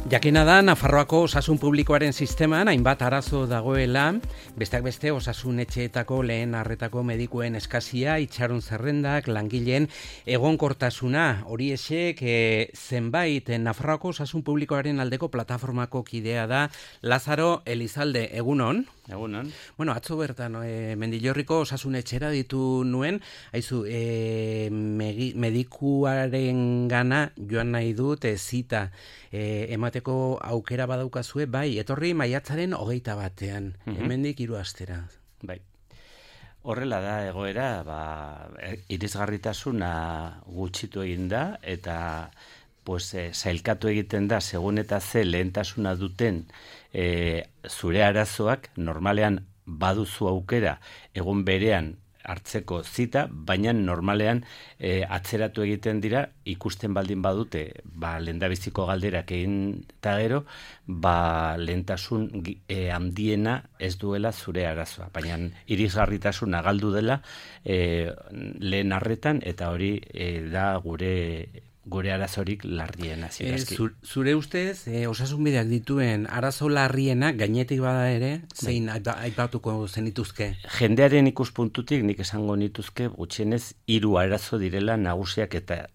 Jakina da, Nafarroako osasun publikoaren sisteman hainbat arazo dagoela, besteak beste osasun etxeetako lehen arretako medikuen eskasia, itxaron zerrendak, langileen egonkortasuna, hori esek zenbait Nafarroako osasun publikoaren aldeko plataformako kidea da Lazaro Elizalde, egunon? Egunon. Bueno, atzo bertan Mendillorriko osasun etxera ditu nuen, haizu, medikuaren gana joan nahi dut zita emateko aukera badaukazue, bai, etorri maiatzaren 21. Hemendik 3 astera. Bai. Horrela da egoera, irisgarritasuna gutxitu egin da, eta zailkatu egiten da, segun eta ze lehentasuna duten zure arazoak, normalean baduzu aukera egun berean hartzeko zita, baina normalean atzeratu egiten dira, ikusten baldin badute, lehendabiziko galderak egin eta gero, lehentasun handiena ez duela zure arazoa. Baina irisgarritasuna galdu dela lehen arretan, eta hori da gure arazorik larriena. Zure ustez, osasunbideak dituen arazo larriena, gainetik bada ere, zein aipatuko zenituzke? Jendearen ikuspuntutik nik esango nituzke gutxienez 3 arazo direla nagusiak eta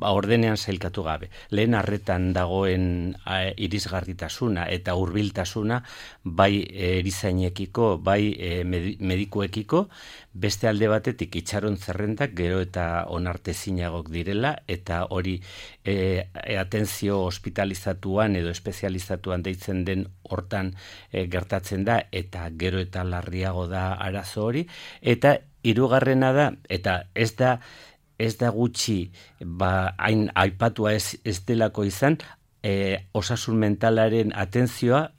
ordenean sailkatu gabe. Lehen arretan dagoen irisgarritasuna eta hurbiltasuna, bai erizainekiko, bai medikuekiko, beste alde batetik itxaron zerrendak gero eta onartezinagok direla, eta hori atentzio hospitalizatuan edo espezializatuan deitzen den hortan gertatzen da, eta gero eta larriago da arazo hori, eta hirugarrena da, eta ez da gutxi hain aipatua ez delako izan, osasun mentalaren atentzioa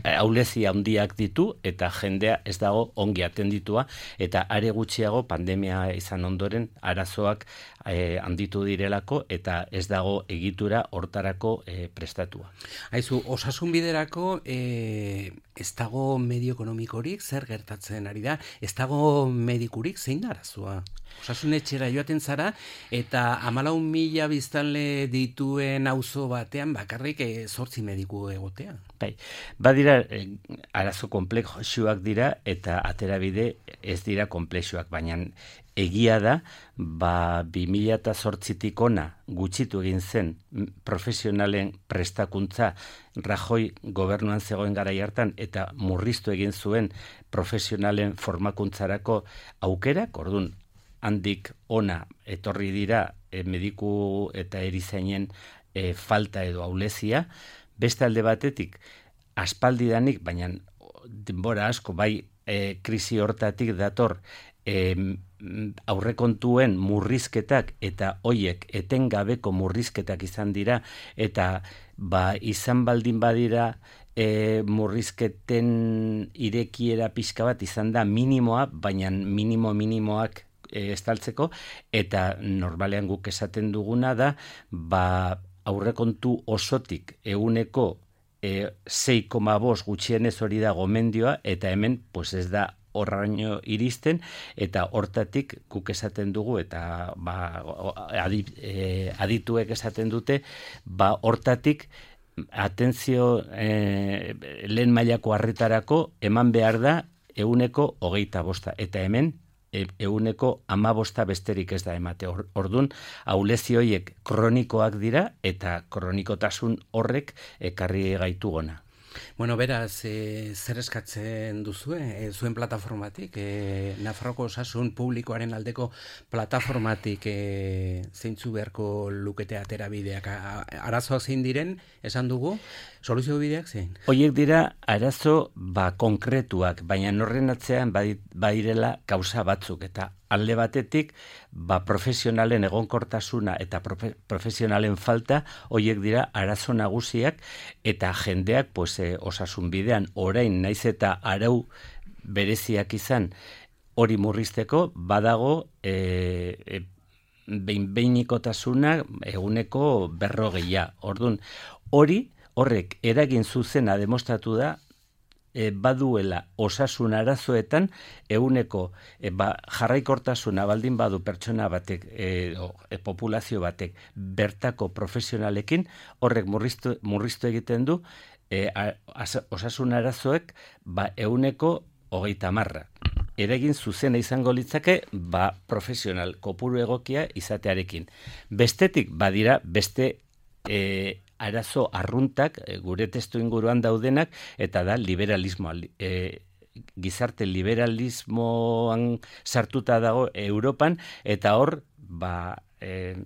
ahulezia handiak ditu, eta jendea ez dago ongi atenditua, eta are gutxiago pandemia izan ondoren arazoak handitu direlako, eta ez dago egitura hortarako prestatua. Haizu, osasun biderako ez dago medio ekonomikorik, zer gertatzen ari da, ez dago medikurik, zein da arazoa? Osasun etxera joaten zara, eta 14.000 biztanle dituen auzo batean bakarrik 8 mediku egotea. Bai, badira arazo konplexuak dira, eta aterabide ez dira konplexuak, baina egia da, 2008tik ona gutxitu egin zen profesionalen prestakuntza Rajoy gobernuan zegoen garai hartan, eta murriztu egin zuen profesionalen formakuntzarako aukerak, orduan, handik ona etorri dira mediku eta erizainen falta edo ahulezia. Beste alde batetik, aspaldidanik, baina denbora asko, bai krisi hortatik dator aurrekontuen murrizketak, eta hoiek etengabeko murrizketak izan dira, eta izan baldin badira murrizketen irekiera pixka bat izan da minimoa, baina minimoak estaltzeko, eta normalean guk esaten duguna da, aurrekontu osotik eguneko 6,5 gutxienez hori da gomendioa, eta hemen ez da horraino iristen, eta hortatik guk esaten dugu, eta adituek esaten dute, hortatik atentzio lehen mailako arretarako eman behar da eguneko 25, eta hemen eguneko 15 besterik ez da emate. Ordun, ahulezi horiek kronikoak dira, eta kronikotasun horrek ekarri gaitu gona. Bueno, beraz, zer eskatzen duzue, zuen plataformatik, Nafarroko osasun publikoaren aldeko plataformatik zeintzu beharko lukete aterabideak, arazoak zein diren, esan dugu, soluzio bideak zein? Horiek dira arazo konkretuak, baina horren atzean badirela kausa batzuk, eta alde batetik, profesionalen egonkortasuna eta profesionalen falta, horiek dira arazo nagusiak, eta jendeak osasun bidean orain naiz eta arau bereziak izan hori murrizteko, badago behin-behinikotasuna eguneko 40. Orduan, horrek eragin zuzena demostratu da baduela osasun arazoetan ehuneko jarraikortasuna baldin badu pertsona batek populazio batek bertako profesionalekin, horrek murriztu egiten du osasun arazoek ehuneko 30. Eragin zuzena izango litzake profesional kopuru egokia izatearekin. Bestetik badira beste arazo arruntak gure testu inguruan daudenak, eta da liberalismoa. Gizarte liberalismoan sartuta dago Europan, eta hor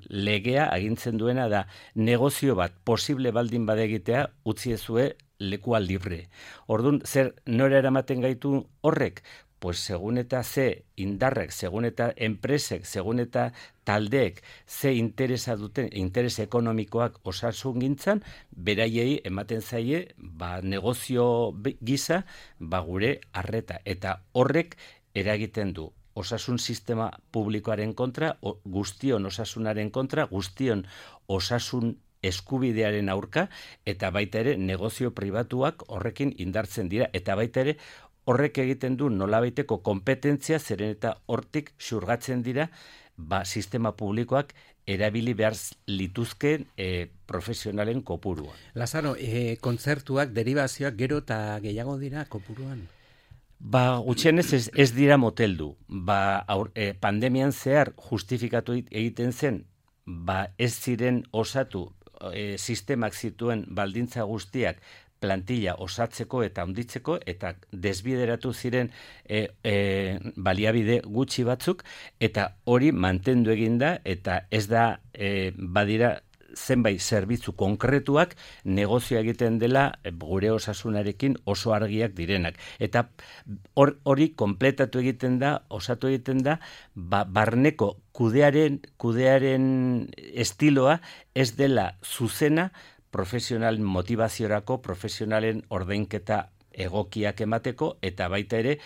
legea agintzen duena da negozio bat posible baldin badegitea utzi ezue lekua libre. Orduan, zer nora eramaten gaitu horrek? Pues segun eta ze indarrek, segun eta enpresek, segun eta taldeek ze interesa duten, interes ekonomikoak osasungintzan, beraiei ematen zaie negozio gisa gure arreta. Eta horrek eragiten du osasun sistema publikoaren kontra, guztion osasunaren kontra, guztion osasun eskubidearen aurka, eta baita ere negozio pribatuak horrekin indartzen dira, eta baita ere horrek egiten du nolabaiteko kompetentzia, zeren eta hortik xurgatzen dira sistema publikoak erabili behar lituzken profesionalen kopurua. Lazaro, kontzertuak, derivazioak gero eta gehiago dira kopuruan? Gutxienez ez dira moteldu. Pandemian zehar justifikatu egiten zen, ez ziren osatu sistemak zituen baldintza guztiak plantilla osatzeko eta handitzeko, eta desbideratu ziren baliabide gutxi batzuk, eta hori mantendu eginda, eta ez da badira zenbait zerbitzu konkretuak negozio egiten dela gure osasunarekin oso argiak direnak. Eta hori kompletatu egiten da, osatu egiten da, barneko kudearen estiloa ez dela zuzena profesional motivaziorako, profesionalen ordainketa egokiak emateko, eta baita ere,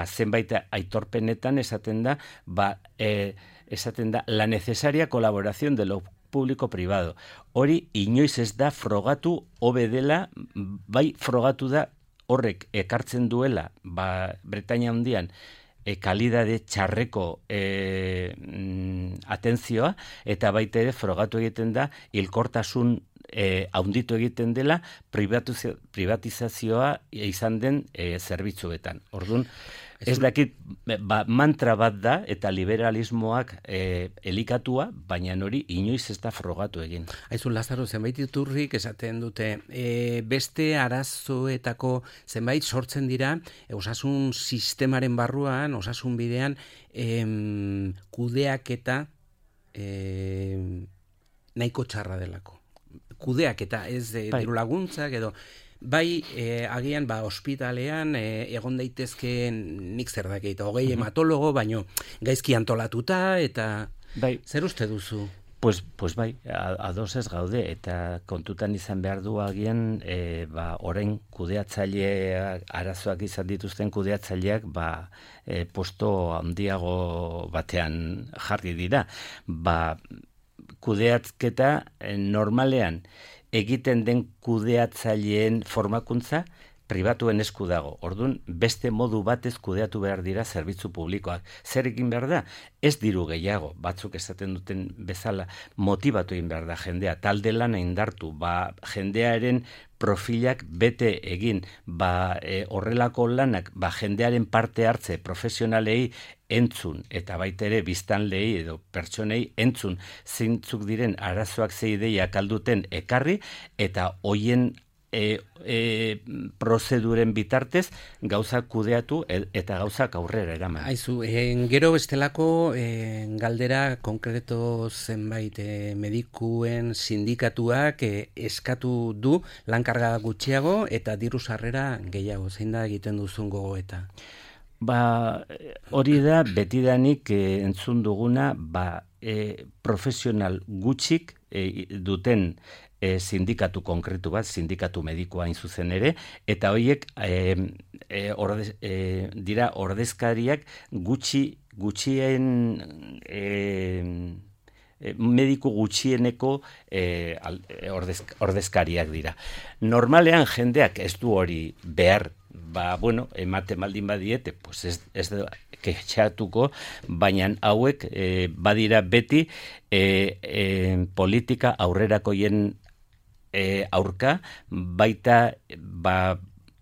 zenbait aitorpenetan esaten da, la necesaria colaboración de lo público-privado. Hori inoiz ez da frogatu hobe dela, bai frogatu da horrek ekartzen duela, Bretainia Handian, kalidade txarreko atentzioa, eta baita ere frogatu egiten da hilkortasun haunditu egiten dela privatizazioa izan den zerbitzuetan. Orduan, ez dakit mantra bat da eta liberalismoak elikatua, baina hori inoiz ez da frogatu egin. Aizu, Lazaro, zenbait iturrik esaten dute, beste arazoetako zenbait sortzen dira osasun sistemaren barruan, osasun bidean, kudeaketa nahiko txarra delako. Kudeaketa, ez diru laguntzak edo agian ospitalean egon daitezke nik zer dakit, 20 hematologo, baino gaizki antolatuta, eta zer uste duzu? Pues bai, ados ez gaude, eta kontutan izan behar du agian, orain kudeatzaileak, arazoak izan dituzten kudeatzaileak, posto handiago batean jarri dira. Kudeatzketa normalean egiten den kudeatzaileen formakuntza pribatuen esku dago. Orduan, beste modu batez kudeatu behar dira zerbitzu publikoak. Zer egin behar da? Ez diru gehiago, batzuk esaten duten bezala, motibatu egin behar da jendea, talde lana indartu, jendearen profilak bete egin, horrelako lanak, jendearen parte hartze profesionalei entzun, eta baita ere biztanlei edo pertsonei entzun zeintzuk diren arazoak ze ideiak alduten ekarri, eta hoien prozeduren bitartez gauzak kudeatu eta gauzak aurrera eraman. Aizu, gero bestelako galdera konkreto zenbait medikuen sindikatuak eskatu du lankarga gutxiago eta diru sarrera gehiago. Zein da egiten duzun gogoeta? Hori da betidanik entzun duguna, profesional gutxik duten sindikatu konkretu bat, sindikatu medikoa hain zuzen ere, eta horiek dira ordezkariak gutxien mediku gutxieneko ordezkariak dira. Normalean jendeak ez du hori behar bueno, emate maldin badiete, pues ez da kexatuko, baina hauek badira beti politika aurrerakoien aurka, baita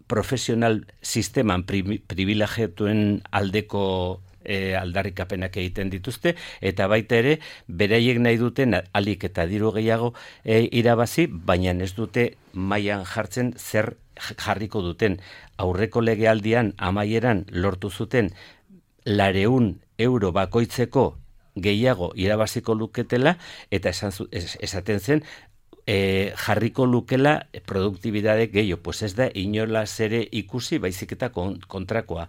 profesional sisteman privilegiatuen aldeko aldarrikapenak egiten dituzte, eta baita ere, beraiek nahi duten alik eta diru gehiago irabazi, baina ez dute mailan jartzen zer jarriko duten. Aurreko legealdian amaieran lortu zuten 200 euro bakoitzeko gehiago irabaziko luketela, eta esaten zen, jarriko lukela produktibidade gehiago. Pues ez da inolaz ere ikusi, baizik eta kontrakoa.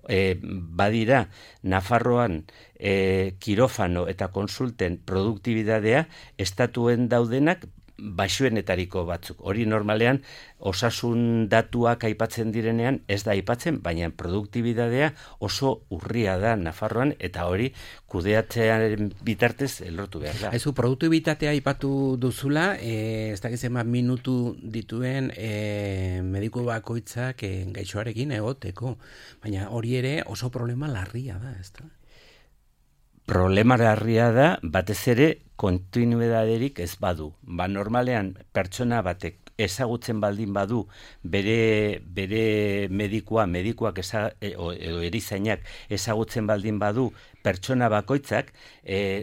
Badira, Nafarroan kirofano eta konsulten produktibidadea estatuen daudenak baxuenetariko batzuk. Hori normalean osasun datuak aipatzen direnean ez da aipatzen, baina produktibidadea oso urria da Nafarroan, eta hori kudeatzearen bitartez lortu behar da. Aizu, produktibitatea aipatu duzula, ez dakiz minutu dituen mediku bakoitzak gaixoarekin egoteko, baina hori ere oso problema larria da, ez da? Problema larria da, batez ere, kontinuidaderik ez badu. Normalean, pertsona batek ezagutzen baldin badu bere medikuak edo erizainak ezagutzen baldin badu pertsona bakoitzak,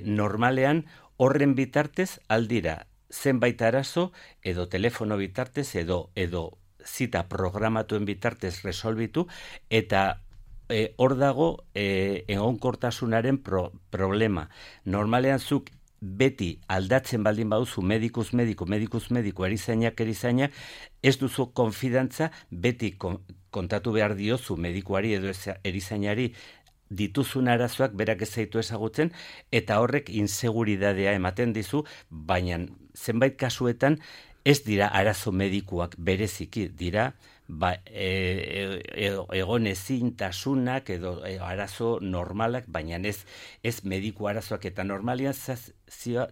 normalean horren bitartez aldira zenbait arazo edo telefono bitartez edo zita programatuen bitartez resolbitu, eta hor dago egonkortasunaren problema. Normalean zuk beti aldatzen baldin baduzu medikuz mediku, erizainak, ez duzu konfidantza, beti kontatu behar diozu medikuari edo erizainari dituzun arazoak berak ez zaitu ezagutzen, eta horrek inseguridadea ematen dizu, baina zenbait kasuetan ez dira arazo medikuak bereziki, dira egon ezintasunak edo arazo normalak, baina ez mediku arazoak, eta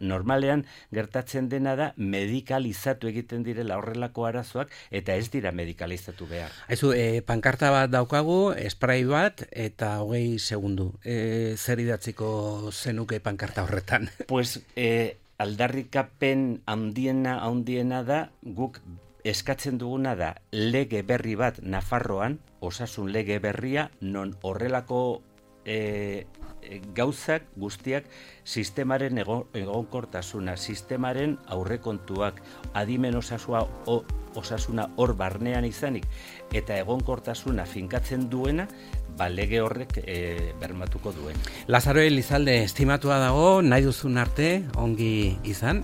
normalean gertatzen dena da medikalizatu egiten direla horrelako arazoak, eta ez dira medikalizatu behar. Aizu, pankarta bat daukagu, spray bat, eta 20 segundu. Zer idatziko zenuke pankarta horretan? Pues, aldarrikapen handiena da, guk eskatzen duguna da lege berri bat Nafarroan, osasun lege berria, non horrelako gauzak guztiak sistemaren egonkortasuna, sistemaren aurrekontuak, adimen osasuna hor barnean izanik, eta egonkortasuna finkatzen duena, lege horrek bermatuko duen. Lazaro Elizalde, estimatua dago, nahi duzun arte, ongi izan.